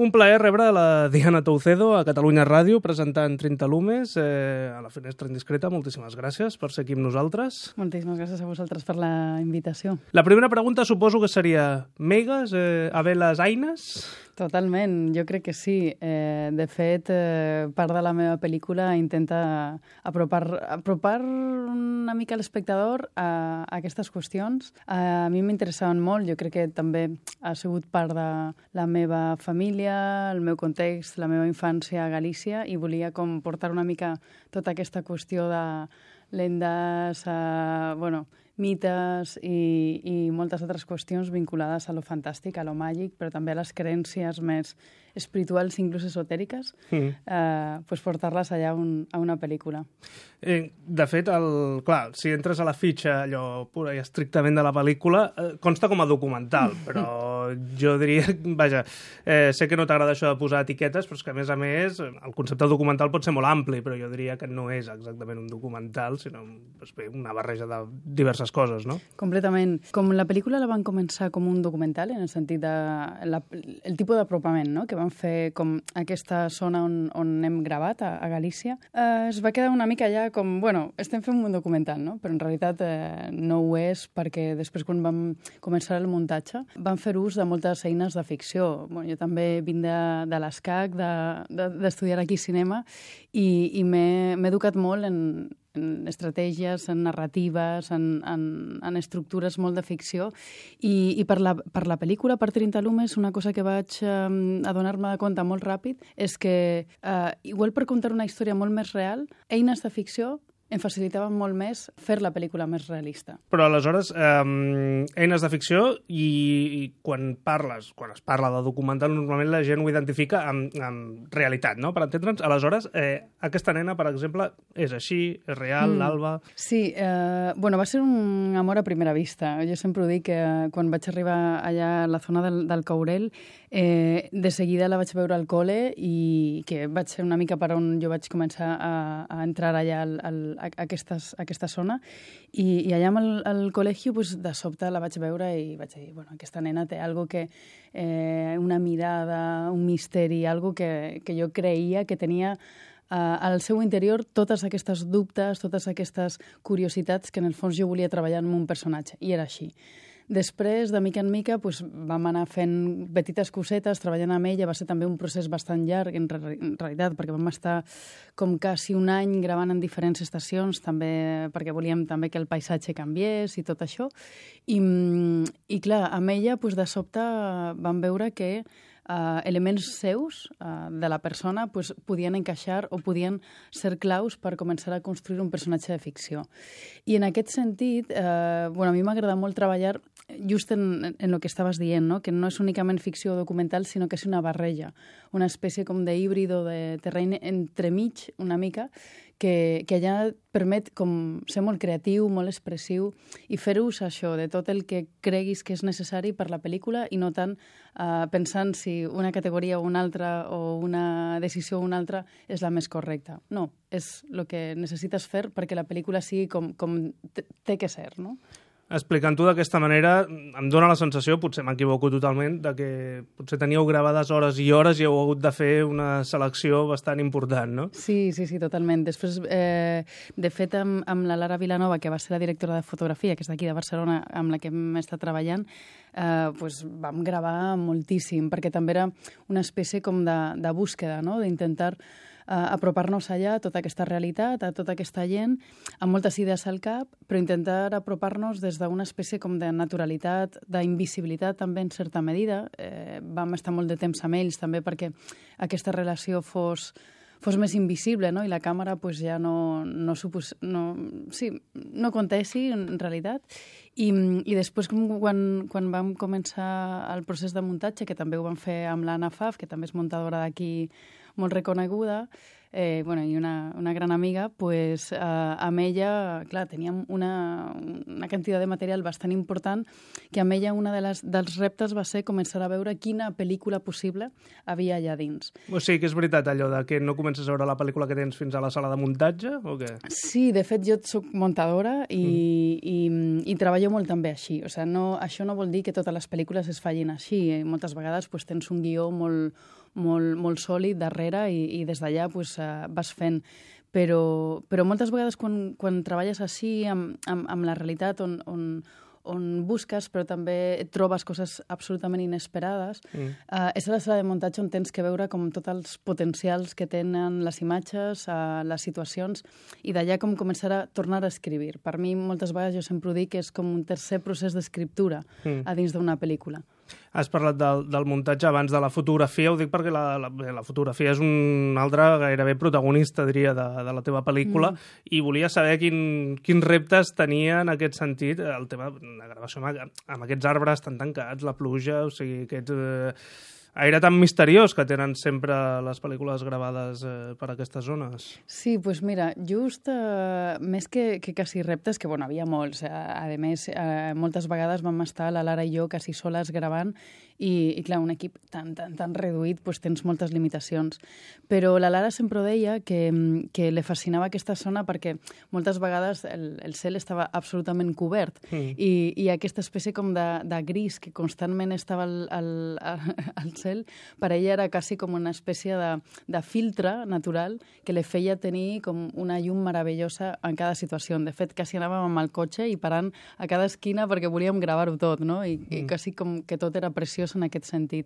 Un plaer rebre la Diana Toucedo a Catalunya Ràdio presentant 30 Lumes a la Finestra Indiscreta. Moltíssimes gràcies per ser aquí amb nosaltres. Moltíssimes gràcies a vosaltres per la invitació. La primera pregunta suposo que seria megues, haver-les eines? Totalment, jo crec que sí. De fet, part de la meva pel·lícula intenta apropar una mica l'espectador a aquestes qüestions. A mi m'interessaven molt, jo crec que també ha sigut part de la meva família, el meu context, la meva infància a Galícia, i volia com portar una mica tota aquesta qüestió de lendes, mites i moltes altres qüestions vinculades a lo fantàstic, a lo màgic, però també a les creences més espirituals, inclús esotèriques, portar-les allà a una pel·lícula. De fet, clar, si entres a la fitxa allò pura i estrictament de la pel·lícula, consta com a documental, però jo diria, vaja, sé que no t'agrada això de posar etiquetes, però és que a més, el concepte documental pot ser molt ampli, però jo diria que no és exactament un documental, sinó una barreja de diverses coses, no? Completament. Com la pel·lícula la van començar com un documental, en el sentit de el tipus d'apropament, no?, que van fer com aquesta zona on hem gravat, a Galícia, es va quedar una mica allà com, estem fent un documental, no? Però en realitat no ho és, perquè després quan vam començar el muntatge vam fer ús de moltes eines de ficció. Jo també vinc de l'ESCAC, d'estudiar aquí cinema, i m'he educat molt en estratègies, en narratives, en estructures molt de ficció, i per la pel·lícula, per 30 Lumes, una cosa que vaig adonar-me de compte molt ràpid és que, igual per contar una història molt més real, eines de ficció em facilitaven molt més fer la pel·lícula més realista. Però aleshores, eines de ficció, i quan es parla de documental, normalment la gent ho identifica amb realitat, no?, per entendre'ns. Aleshores, aquesta nena, per exemple, és així, és real, l'Alba... Sí, va ser un amor a primera vista. Jo sempre ho dic, que quan vaig arribar allà a la zona del Caurel, de seguida la vaig veure al col·le, i que vaig ser una mica per on jo vaig començar a entrar allà a aquesta zona, i allà al col·legi de sobte la vaig veure i vaig dir, aquesta nena té algo que, una mirada, un misteri, algo que jo creia que tenia al seu interior totes aquestes dubtes, totes aquestes curiositats que en el fons jo volia treballar en un personatge, i era així. Després, de mica en mica, vam anar fent petites cosetes, treballant amb ella. Va ser també un procés bastant llarg, en realitat, perquè vam estar com quasi un any gravant en diferents estacions, també perquè volíem també que el paisatge canviés i tot això. I clar, amb ella, de sobte, vam veure que elements seus de la persona podien encaixar o podien ser claus per començar a construir un personatge de ficció. I en aquest sentit, a mi m'agrada molt treballar just en el que estaves dient, no?, que no és únicament ficció documental, sinó que és una barreja, una espècie com d'híbrido de terreny entremig, una mica, que allà permet com ser molt creatiu, molt expressiu, i fer ús això de tot el que creguis que és necessari per la pel·lícula, i no tant pensant si una categoria o una altra, o una decisió o una altra, és la més correcta. No, és el que necessites fer perquè la pel·lícula sigui com té que ser, no? Explicant-ho d'aquesta manera, em dóna la sensació, potser m'equivoco totalment, de que potser teníeu gravades hores i hores i heu hagut de fer una selecció bastant important, no? Sí, totalment. Després, de fet, amb la Lara Vilanova, que va ser la directora de fotografia, que és d'aquí de Barcelona, amb la que hem estat treballant, vam gravar moltíssim, perquè també era una espècie com de búsqueda, no?, d'intentar apropar-nos allà a tota aquesta realitat, a tota aquesta gent, amb moltes idees al cap, però intentar apropar-nos des d'una espècie com de naturalitat, d'invisibilitat també en certa medida. Vam estar molt de temps amb ells també perquè aquesta relació fos més invisible, no?, i la càmera ja no contessi en realitat. I després, quan vam començar el procés de muntatge, que també ho vam fer amb l'Anna Faf, que també és muntadora d'aquí molt reconeguda, i una gran amiga, amb ella, clar, teníem una quantitat de material bastant important, que amb ella un dels reptes va ser començar a veure quina pel·lícula possible havia allà dins. O sigui que és veritat allò de que no comences a veure la pel·lícula que tens fins a la sala de muntatge, o què? Sí, de fet jo soc muntadora i treballo molt també així. Això no vol dir que totes les pel·lícules es fallin així. Moltes vegades tens un guió molt molt sòlid darrere i des d'allà pues, vas fent. Però moltes vegades quan treballes així amb la realitat on busques, però també et trobes coses absolutament inesperades, és a la sala de muntatge on tens que veure com tots els potencials que tenen les imatges, les situacions, i d'allà com començar a tornar a escriure. Per mi, moltes vegades, jo sempre ho dic, que és com un tercer procés d'escriptura a dins d'una pel·lícula. Has parlat del muntatge abans de la fotografia, ho dic perquè la fotografia és un altre gairebé protagonista, diria, de la teva pel·lícula, i volia saber quins reptes tenia en aquest sentit el tema de gravació amb aquests arbres tan tancats, la pluja, o sigui, aquest aire tan misteriós que tenen sempre les pel·lícules gravades per aquestes zones. Sí, doncs mira, just més que quasi reptes, que bueno, havia molts, a més, moltes vegades vam estar la Lara i jo quasi soles gravant i clar, un equip tan reduït, doncs tens moltes limitacions. Però la Lara sempre ho deia que li fascinava aquesta zona perquè moltes vegades el cel estava absolutament cobert i aquesta espècie com de gris que constantment estava al cel, per ella era quasi com una espècie de filtre natural que li feia tenir com una llum meravellosa en cada situació. De fet, quasi anàvem amb el cotxe i parant a cada esquina perquè volíem gravar-ho tot, no? I quasi com que tot era preciós en aquest sentit.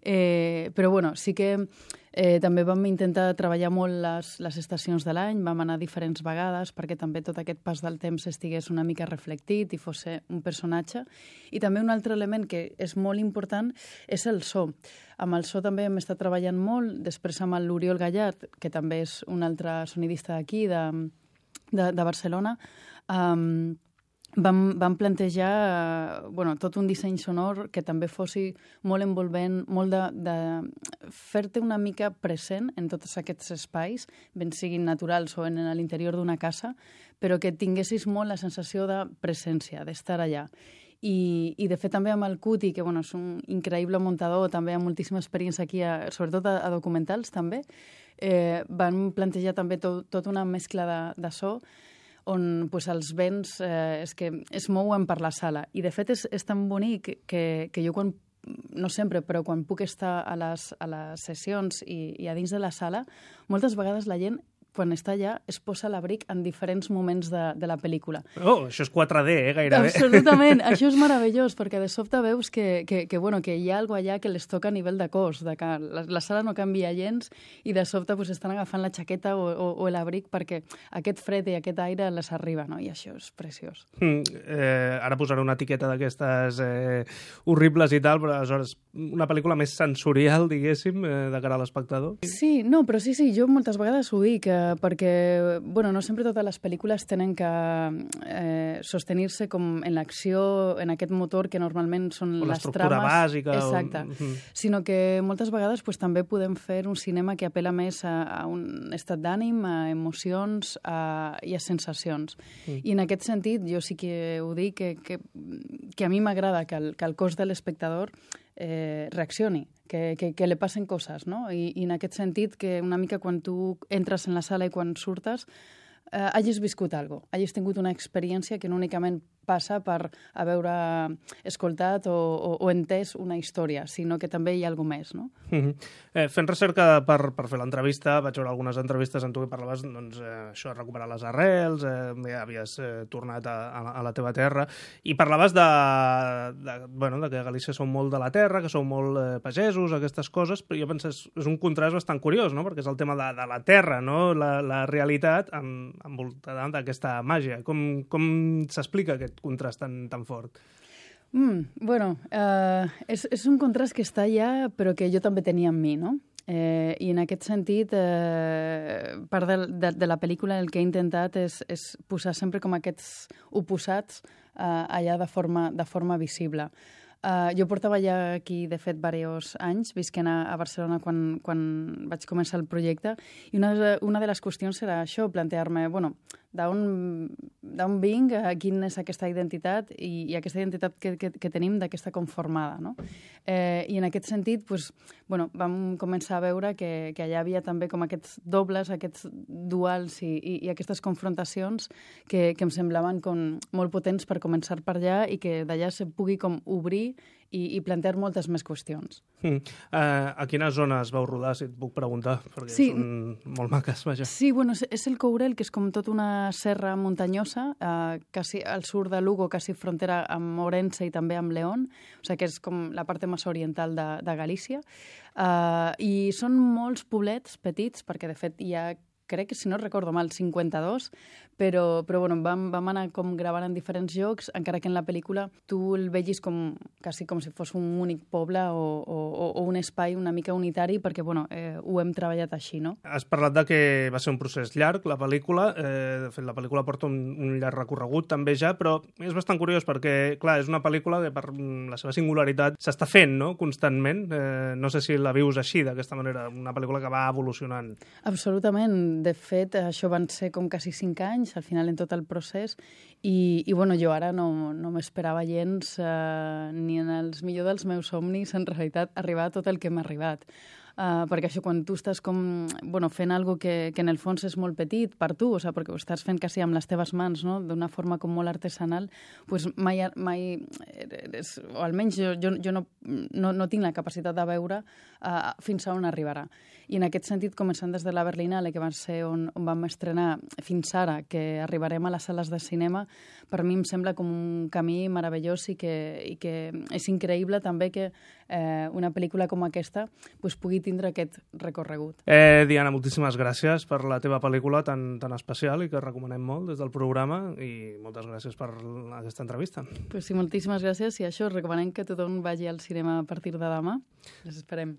Però bueno, sí que també vam intentar treballar molt les estacions de l'any, vam anar diferents vegades perquè també tot aquest pas del temps estigués una mica reflectit i fos un personatge. I també un altre element que és molt important és el so. Amb el so també hem estat treballant molt, després amb l'Oriol Gallart, que també és un altre sonidista d'aquí, de Barcelona, vam plantejar tot un disseny sonor que també fossi molt envolvent, molt de fer-te una mica present en tots aquests espais, ben siguin naturals o en l'interior d'una casa, però que tinguessis molt la sensació de presència, d'estar allà. I de fet també amb el Cuti, que és un increïble muntador, també amb moltíssima experiència aquí, sobretot a documentals també, van plantejar també tota una mescla de so on els vents es mouen per la sala. I de fet és tan bonic que jo no sempre, però quan puc estar a les sessions i a dins de la sala, moltes vegades la gent quan està allà es posa l'abric en diferents moments de la pel·lícula. Oh, això és 4D, gairebé. Absolutament, això és meravellós, perquè de sobte veus que hi ha alguna allà que les toca a nivell de cos, de que la sala no canvia gens i de sobte estan agafant la jaqueta o l'abric perquè aquest fred i aquest aire les arriba, no? I això és preciós. Ara posaré una etiqueta d'aquestes horribles i tal, però aleshores una pel·lícula més sensorial, diguéssim, de cara a l'espectador? Sí, no, però sí, jo moltes vegades ho dic, perquè no sempre totes les pel·lícules tenen que sostenir-se com en l'acció, en aquest motor que normalment són les trames. L'estructura bàsica. Exacte. Sinó que moltes vegades també podem fer un cinema que apela més a un estat d'ànim, a emocions i a sensacions. I en aquest sentit jo sí que ho dic que a mi m'agrada que el cos de l'espectador reaccioni, que li passen coses, no? I en aquest sentit que una mica quan tu entres en la sala i quan surtes hagis viscut alguna cosa, hagis tingut una experiència que no únicament passa per haver escoltat o entès una història, sinó que també hi ha alguna més, no? Fent recerca per fer l'entrevista, vaig veure algunes entrevistes en tu que parlaves això de recuperar les arrels, ja havies tornat a la teva terra, i parlaves de que a Galícia sou molt de la terra, que sou molt pagesos, aquestes coses, però jo penso que és un contrast bastant curiós, no? Perquè és el tema de la terra, no? La realitat envoltada d'aquesta màgia. Com s'explica aquest contrast tan fort? És un contrast que està allà, però que jo també tenia en mi, no? I en aquest sentit, part de la pel·lícula el que he intentat és posar sempre com aquests oposats allà de forma visible. Jo portava ja aquí, de fet, diversos anys, visquent a Barcelona quan vaig començar el projecte, i una de les qüestions era això, plantejar-me, d'on vinc, quina és aquesta identitat i aquesta identitat que tenim d'aquesta conformada, no? I en aquest sentit, vam començar a veure que allà havia també com aquests dobles, aquests duals i aquestes confrontacions que em semblaven com molt potents per començar per allà i que d'allà se pugui com obrir i plantejar moltes més qüestions. A quines zones vau rodar, si et puc preguntar? Perquè Sí. són molt maques, vaja. Sí, bueno, és el Courel, que és com tota una serra muntanyosa, quasi al sud de Lugo, quasi frontera amb Ourense i també amb León, o sigui que és com la part més oriental de Galícia. I són molts poblets petits, perquè de fet hi ha, crec que si no recordo mal, 52, però bueno, vam anar com gravant en diferents llocs, encara que en la pel·lícula tu el vegis quasi com si fos un únic poble o un espai una mica unitari, perquè bueno, ho hem treballat així, no? Has parlat de que va ser un procés llarg, la pel·lícula. De fet, la pel·lícula porta un llarg recorregut també ja, però és bastant curiós perquè, clar, és una pel·lícula que per la seva singularitat s'està fent, no?, constantment. No sé si la vius així, d'aquesta manera, una pel·lícula que va evolucionant. Absolutament. De fet, això van ser com quasi 5 anys, al final en tot el procés, i bueno, jo ara no m'esperava gens, ni en els millors dels meus somnis, en realitat, arribar a tot el que m'ha arribat. Perquè això, quan tu estàs fent alguna cosa que en el fons és molt petit per tu, o sigui, perquè ho estàs fent quasi amb les teves mans, no?, d'una forma com molt artesanal, pues mai o almenys jo no tinc la capacitat de veure fins a on arribarà. I en aquest sentit, començant des de la Berlinale, que va ser on vam estrenar fins ara, que arribarem a les sales de cinema, per mi em sembla com un camí meravellós i que és increïble també que una pel·lícula com aquesta pugui tindre aquest recorregut. Diana, moltíssimes gràcies per la teva pel·lícula tan especial i que recomanem molt des del programa, i moltes gràcies per aquesta entrevista. Sí, moltíssimes gràcies, i això, recomanem que tothom vagi al cinema a partir de demà. Les esperem.